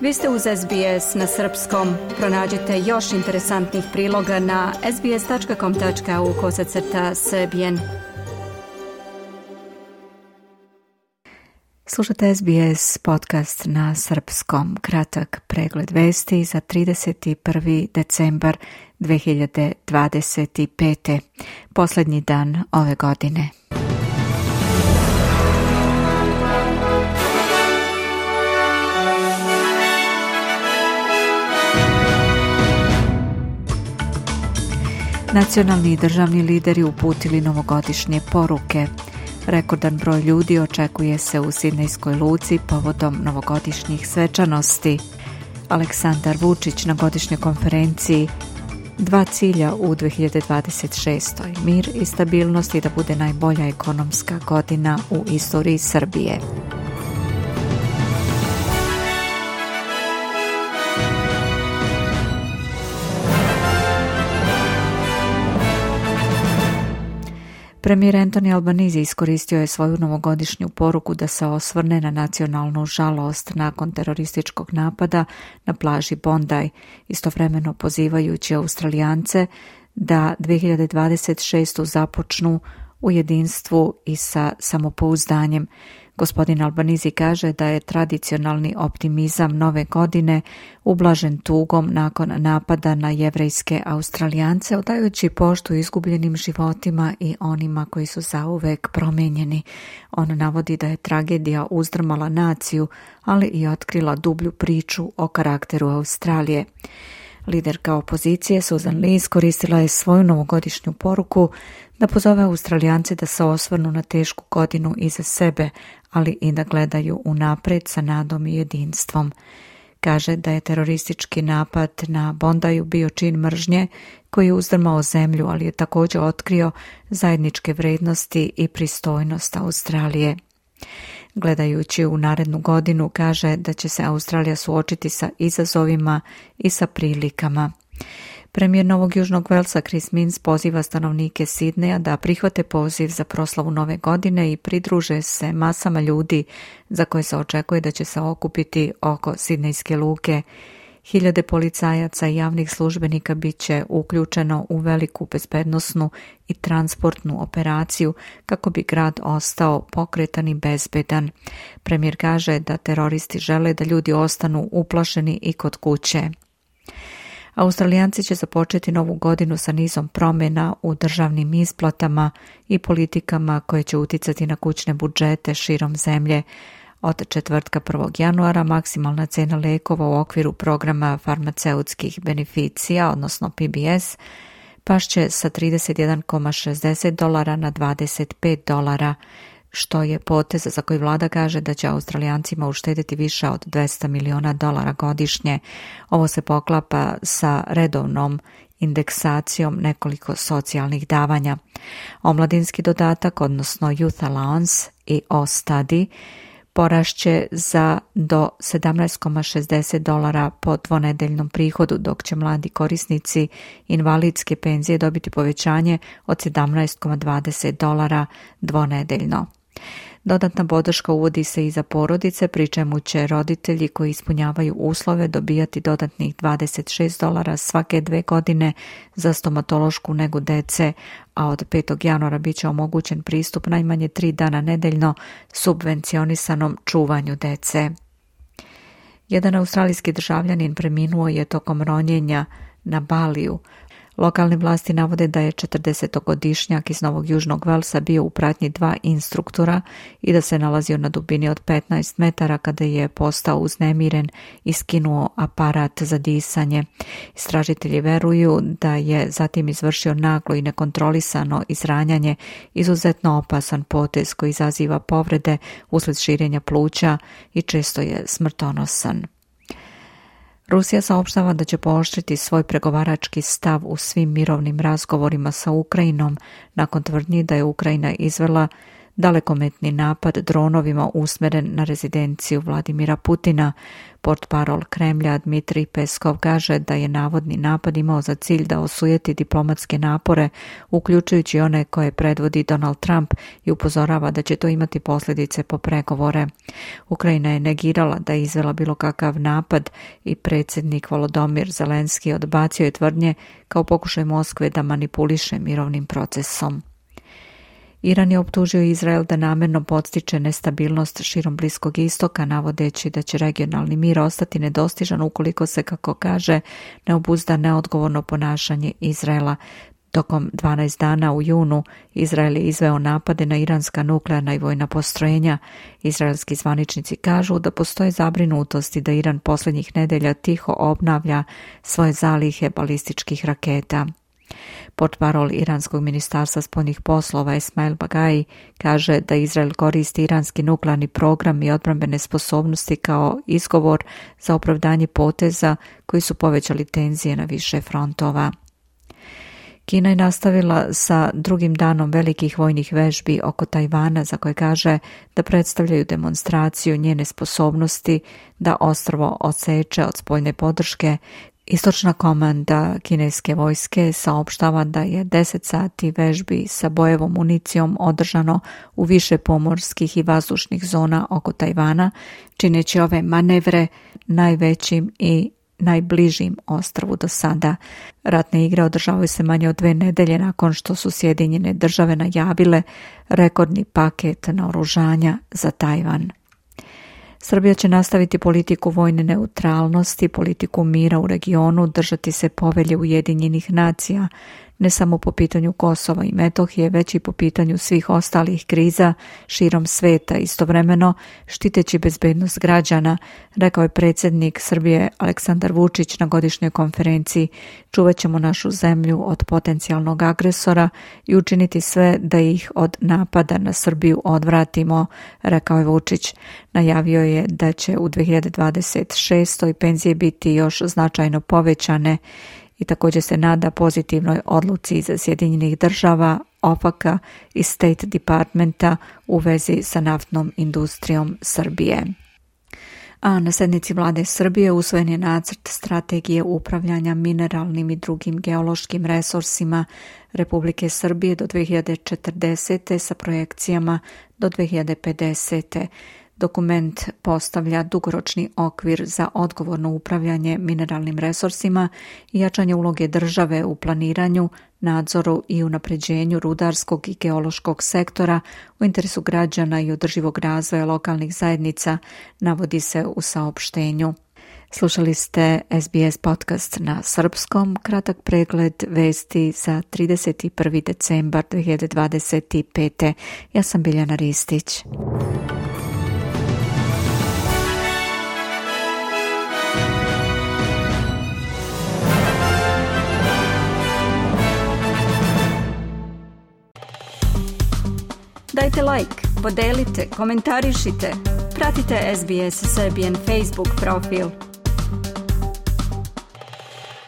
Vi ste uz SBS na srpskom. Pronađite još interesantnih priloga na sbs.com.au/srbijen. Slušate SBS podcast na srpskom. Kratak pregled vesti za 31. decembar 2025. Posljednji dan ove godine. Nacionalni i državni lideri uputili novogodišnje poruke. Rekordan broj ljudi očekuje se u Sidnejskoj luci povodom novogodišnjih svečanosti. Aleksandar Vučić na godišnjoj konferenciji: 2 cilja u 2026. Mir i stabilnost i da bude najbolja ekonomska godina u istoriji Srbije. Premijer Anthony Albanese iskoristio je svoju novogodišnju poruku da se osvrne na nacionalnu žalost nakon terorističkog napada na plaži Bondi, istovremeno pozivajući Australijance da 2026. započnu u jedinstvu i sa samopouzdanjem. Gospodin Albanese kaže da je tradicionalni optimizam nove godine ublažen tugom nakon napada na jevrejske Australijance, odajući poštu izgubljenim životima i onima koji su zauvek promijenjeni. On navodi da je tragedija uzdrmala naciju, ali i otkrila dublju priču o karakteru Australije. Liderka opozicije Susan Lee iskoristila je svoju novogodišnju poruku da pozove Australijance da se osvrnu na tešku godinu iza sebe, ali i da gledaju unaprijed sa nadom i jedinstvom. Kaže da je teroristički napad na Bondiju bio čin mržnje koji je uzdrmao zemlju, ali je također otkrio zajedničke vrednosti i pristojnost Australije. Gledajući u narednu godinu, kaže da će se Australija suočiti sa izazovima i sa prilikama. Premijer Novog Južnog Velsa Chris Minns poziva stanovnike Sidneja da prihvate poziv za proslavu nove godine i pridruže se masama ljudi za koje se očekuje da će se okupiti oko Sidnejske luke. Hiljade policajaca i javnih službenika bit će uključeno u veliku bezbednosnu i transportnu operaciju kako bi grad ostao pokretan i bezbedan. Premijer kaže da teroristi žele da ljudi ostanu uplašeni i kod kuće. Australijanci će započeti novu godinu sa nizom promjena u državnim isplatama i politikama koje će uticati na kućne budžete širom zemlje. Od četvrtka 1. januara maksimalna cena lijekova u okviru programa farmaceutskih beneficija, odnosno PBS, pašće sa $31,60 na $25, što je potez za koji vlada kaže da će Australijancima uštediti više od $200 miliona godišnje. Ovo se poklapa sa redovnom indeksacijom nekoliko socijalnih davanja. Omladinski dodatak, odnosno Youth Allowance i O-Study, porašće za do $17,60 po dvonedeljnom prihodu, dok će mladi korisnici invalidske penzije dobiti povećanje od $17,20 dvonedeljno. Dodatna podrška uvodi se i za porodice, pri čemu će roditelji koji ispunjavaju uslove dobijati dodatnih $26 svake 2 godine za stomatološku negu dece, a od 5. januara bit će omogućen pristup najmanje 3 dana nedeljno subvencionisanom čuvanju dece. Jedan australijski državljanin preminuo je tokom ronjenja na Baliju. Lokalne vlasti navode da je 40-godišnjak iz Novog Južnog Velsa bio u pratnji 2 instruktora i da se nalazio na dubini od 15 metara kada je postao uznemiren i skinuo aparat za disanje. Istražitelji veruju da je zatim izvršio naglo i nekontrolisano izranjanje, izuzetno opasan potez koji izaziva povrede usled širenja pluća i često je smrtonosan. Rusija saopštava da će pooštriti svoj pregovarački stav u svim mirovnim razgovorima sa Ukrajinom nakon tvrdnji da je Ukrajina izvela dalekometni napad dronovima usmeren na rezidenciju Vladimira Putina. Portparol Kremlja Dmitrij Peskov kaže da je navodni napad imao za cilj da osujeti diplomatske napore, uključujući one koje predvodi Donald Trump, i upozorava da će to imati posljedice po pregovore. Ukrajina je negirala da je izvela bilo kakav napad i predsjednik Volodymyr Zelenski odbacio je tvrdnje kao pokušaj Moskve da manipuliše mirovnim procesom. Iran je optužio Izrael da namjerno podstiče nestabilnost širom Bliskog istoka, navodeći da će regionalni mir ostati nedostižan ukoliko se, kako kaže, ne obuzda neodgovorno ponašanje Izraela. Tokom 12 dana u junu Izrael je izveo napade na iranska nuklearna i vojna postrojenja. Izraelski zvaničnici kažu da postoje zabrinutosti da Iran posljednjih nedelja tiho obnavlja svoje zalihe balističkih raketa. Portparol Iranskog ministarstva spoljnih poslova Esmail Bagai kaže da Izrael koristi iranski nuklearni program i odbrambene sposobnosti kao izgovor za opravdanje poteza koji su povećali tenzije na više frontova. Kina je nastavila sa drugim danom velikih vojnih vežbi oko Tajvana, za koje kaže da predstavljaju demonstraciju njene sposobnosti da ostrvo odseče od spoljne podrške. Istočna komanda kineske vojske saopštava da je 10 sati vežbi sa bojevom municijom održano u više pomorskih i vazdušnih zona oko Tajvana, čineći ove manevre najvećim i najbližim ostrvu do sada. Ratne igre održavaju se manje od 2 nedelje nakon što su Sjedinjene Države najavile rekordni paket naoružanja za Tajvan. Srbija će nastaviti politiku vojne neutralnosti, politiku mira u regionu, držati se povelje Ujedinjenih nacija, ne samo po pitanju Kosova i Metohije, već i po pitanju svih ostalih kriza širom sveta, istovremeno štiteći bezbednost građana, rekao je predsjednik Srbije Aleksandar Vučić na godišnjoj konferenciji. Čuvat ćemo našu zemlju od potencijalnog agresora i učiniti sve da ih od napada na Srbiju odvratimo, rekao je Vučić. Najavio je da će u 2026. penzije biti još značajno povećane i također se nada pozitivnoj odluci iz Sjedinjenih Država, OFAC-a i State Departmenta u vezi sa naftnom industrijom Srbije. A na sednici vlade Srbije usvojen je nacrt strategije upravljanja mineralnim i drugim geološkim resursima Republike Srbije do 2040. sa projekcijama do 2050. Dokument postavlja dugoročni okvir za odgovorno upravljanje mineralnim resursima i jačanje uloge države u planiranju, nadzoru i unapređenju rudarskog i geološkog sektora u interesu građana i održivog razvoja lokalnih zajednica, navodi se u saopštenju. Slušali ste SBS podcast na srpskom, kratak pregled vesti za 31. decembar 2025. Ja sam Biljana Ristić. Dajte like, podelite, komentarišite, pratite SBS Serbian Facebook profil.